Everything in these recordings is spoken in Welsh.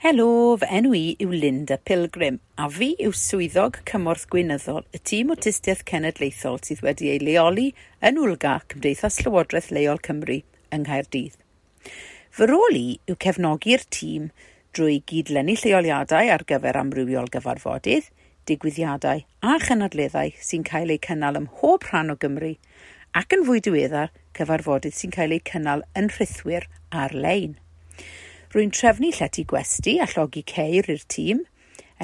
Helo, fy enw i yw Linda Pilgrim a fi yw swyddog cymorth gweinyddol y tîm Awtistiaeth Cenedlaethol sydd wedi ei leoli yn Wlga, Cymdeithas Llywodraeth Leol Cymru yng Nghaerdydd. Fy rôl i yw cefnogi'r tîm drwy gydlynu lleoliadau ar gyfer amrywiol gyfarfodydd, digwyddiadau a chynadleddau sy'n cael eu cynnal ym mhob rhan o Gymru ac yn fwy diweddar cyfarfodydd sy'n cael eu cynnal yn rhithwir ar-lein. Rwy'n trefnu llety gwesty a llogi ceir i'r tîm,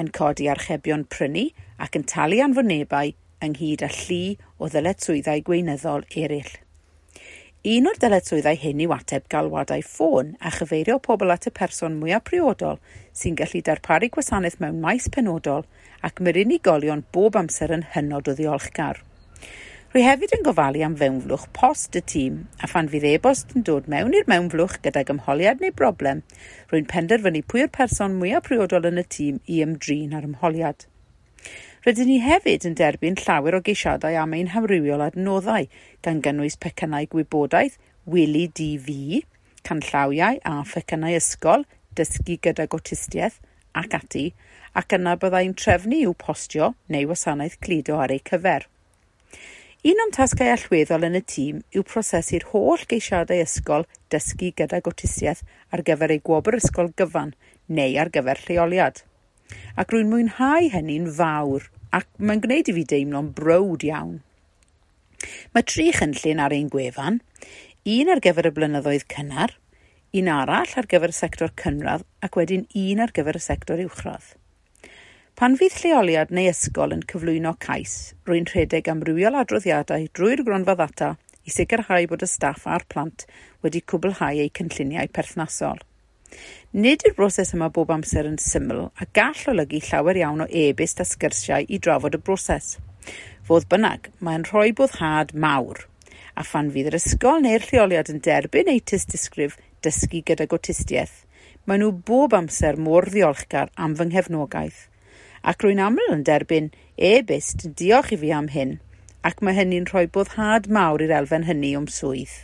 yn codi archebion prynu ac yn talu anfonebau ynghyd â llu o ddyletswyddau gweinyddol eraill. Un o'r dyletswyddau hyn yw ateb galwadau ffôn a chyfeirio pobl at y person mwyaf priodol sy'n gallu darparu gwasanaeth mewn maes penodol ac mae'r unigolion bob amser yn hynod o ddiolchgar. Rwy hefyd yn gofalu am fewnflwch post y tîm a phan fydd e-bost yn dod mewn i'r mewnflwch gydag ymholiad neu broblem, rwy'n penderfynu pwy yw'r person mwyaf priodol yn y tîm i ymdrin â'r ymholiad. Rydyn ni hefyd yn derbyn llawer o geisiadau am ein hamrywiol adnoddau, gan gynnwys pecynnau gwybodaeth, Wili DV, canllawiau a phecynnau ysgol, dysgu gydag awtistiaeth ac ati, ac yna byddai'n trefnu i'w postio neu wasanaeth cludo ar eu cyfer. Un o'm tasgau allweddol yn y tîm yw prosesu'r holl geisiadau ysgol dysgu gydag awtistiaeth ar gyfer eu gwobr ysgol gyfan neu ar gyfer lleoliad. Ac rwy'n mwynhau hynny'n fawr ac mae'n gwneud i fi deimlo'n browd iawn. Mae tri chynllun ar ein gwefan, un ar gyfer y blynyddoedd cynnar, un arall ar gyfer y sector cynradd ac wedyn un ar gyfer y sector uwchradd. Pan fydd lleoliad neu ysgol yn cyflwyno cais, rwy'n rhedeg amrywiol adroddiadau drwy'r gronfa ddata i sicrhau bod y staff a'r plant wedi cwblhau eu cynlluniau perthnasol. Nid yw'r broses yma bob amser yn syml a gall olygu llawer iawn o e-byst a sgyrsiau i drafod y broses. Fodd bynnag, mae'n rhoi boddhad mawr, a phan fydd yr ysgol neu'r lleoliad yn derbyn eu tystysgrif dysgu gydag awtistiaeth, maen nhw bob amser mor ddiolchgar am fy nghefnogaeth ac rwy'n aml yn derbyn e-byst yn diolch i fi am hyn, ac mae hynny'n rhoi boddhad mawr i'r elfen hynny o'm swydd.